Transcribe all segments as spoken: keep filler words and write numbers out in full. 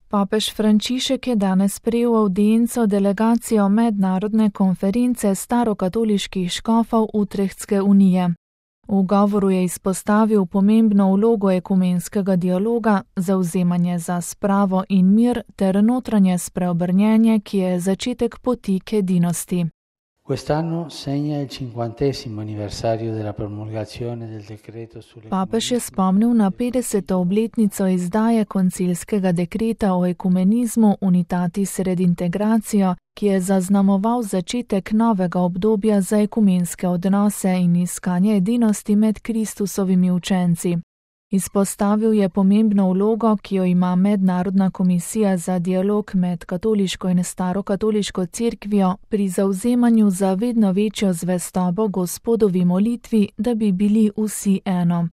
Papež Frančišek je danes prejel avdienco delegacijo mednarodne konference starokatoliških škofov Utrechtske unije. V govoru je izpostavil pomembno vlogo ekumenskega dialoga, zavzemanje za spravo in mir ter notranje spreobrnjenje, ki je začetek poti k edinosti. Quest'anno segna il cinquantesimo anniversario della promulgazione del decreto sulle Papež je spomnil na petdeseto obletnico izdaje koncilskega dekreta o ekumenizmu Unitatis Redintegratio, ki je zaznamoval začetek novega obdobja za ekumenske odnose in iskanje edinosti med Kristusovimi učenci. Izpostavil je pomembno vlogo, ki jo ima Mednarodna komisija za dialog med katoliško in starokatoliško cerkvijo pri zavzemanju za vedno večjo zvestobo Gospodovi molitvi, da bi bili vsi eno.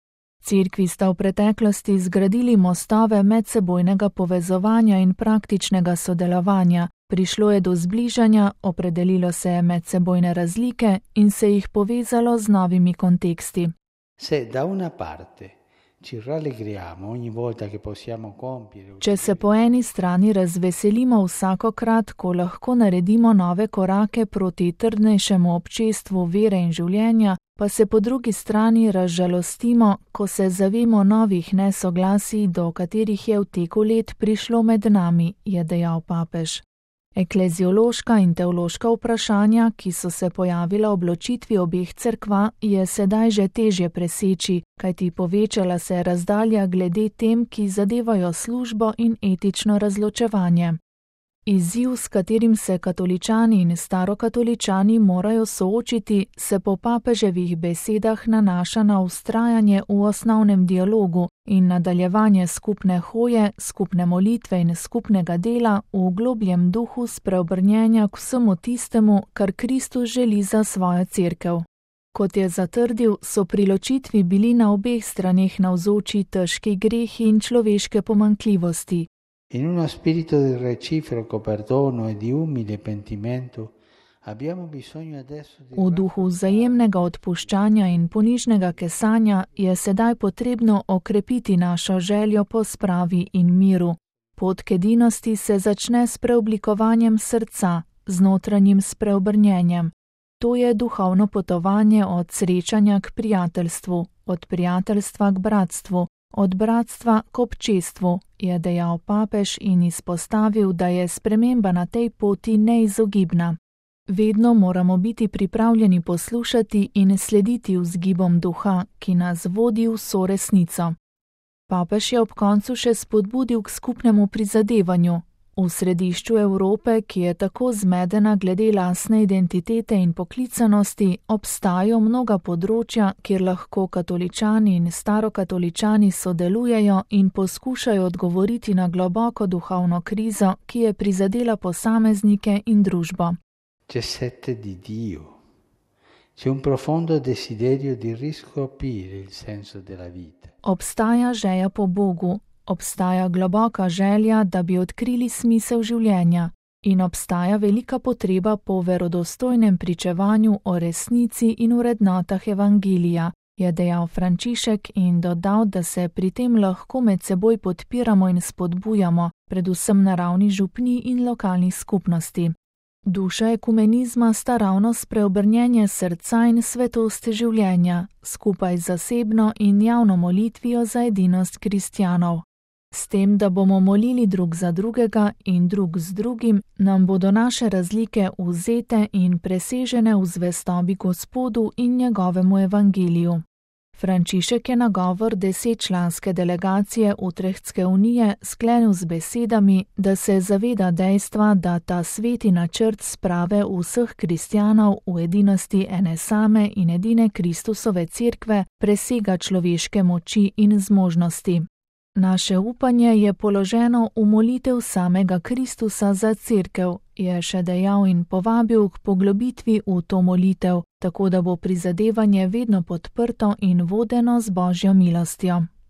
Cerkvi sta v preteklosti zgradili mostove medsebojnega povezovanja in praktičnega sodelovanja, prišlo je do zbližanja, opredelilo se je medsebojne razlike in se jih povezalo z novimi konteksti. Se da una parte ci rallegriamo ogni volta che possiamo compiere. Če se po eni strani razveselimo vsakokrat, ko lahko naredimo nove korake proti trdnejšemu občestvu vere in življenja, pa se po drugi strani razžalostimo, ko se zavemo novih nesoglasij, do katerih je v teku let prišlo med nami, je dejal papež. Ekleziološka in teološka vprašanja, ki so se pojavila ob ločitvi obeh cerkva, je sedaj že težje preseči, kajti povečala se je razdalja glede tem, ki zadevajo službo in etično razločevanje. Izziv, s katerim se katoličani in starokatoličani morajo soočiti, se po papeževih besedah nanaša na vztrajanje v osnovnem dialogu in nadaljevanje skupne hoje, skupne molitve in skupnega dela v globljem duhu spreobrnjenja k vsemu tistemu, kar Kristus želi za svojo cerkev. Kot je zatrdil, so pri ločitvi bili na obeh straneh navzoči težki grehi in človeške pomanjkljivosti. In uno spirito di reciproco perdono e di umile pentimento abbiamo bisogno adesso di... V duhu vzajemnega odpuščanja in ponižnega kesanja je sedaj potrebno okrepiti našo željo po spravi in miru. Pot k edinosti se začne s preoblikovanjem srca, z notranjim spreobrnjenjem. To je duhovno potovanje od srečanja k prijateljstvu, od prijateljstva k bratstvu, od bratstva k občestvu, je dejal papež in izpostavil, da je sprememba na tej poti neizogibna. Vedno moramo biti pripravljeni poslušati in slediti vzgibom duha, ki nas vodi v vso resnico. Papež je ob koncu še spodbudil k skupnemu prizadevanju. V središču Evrope, ki je tako zmedena glede lastne identitete in poklicanosti, obstajajo mnoga področja, kjer lahko katoličani in starokatoličani sodelujejo in poskušajo odgovoriti na globoko duhovno krizo, ki je prizadela posameznike in družbo. C'è sete di Dio. C'è un profondo desiderio di riscoprire il senso della vita. Obstaja želja po Bogu. Obstaja globoka želja, da bi odkrili smisel življenja in obstaja velika potreba po verodostojnem pričevanju o resnici in vrednotah evangelija, je dejal Frančišek in dodal, da se pri tem lahko med seboj podpiramo in spodbujamo, predvsem na ravni župnij in lokalnih skupnosti. Duša ekumenizma sta ravno spreobrnjenje srca in svetost življenja, skupaj z zasebno in javno molitvijo za edinost kristjanov. S tem, da bomo molili drug za drugega in drug z drugim, nam bodo naše razlike vzete in presežene v zvestobi Gospodu in njegovemu evangeliju. Frančišek je nagovor desetčlanske delegacije Utrechtske unije sklenil z besedami, da se zaveda dejstva, da ta sveti načrt sprave vseh kristjanov v edinosti ene same in edine Kristusove cerkve presega človeške moči in zmožnosti. Naše upanje je položeno v molitev samega Kristusa za cerkev, je še dejal in povabil k poglobitvi v to molitev, tako da bo prizadevanje vedno podprto in vodeno z Božjo milostjo.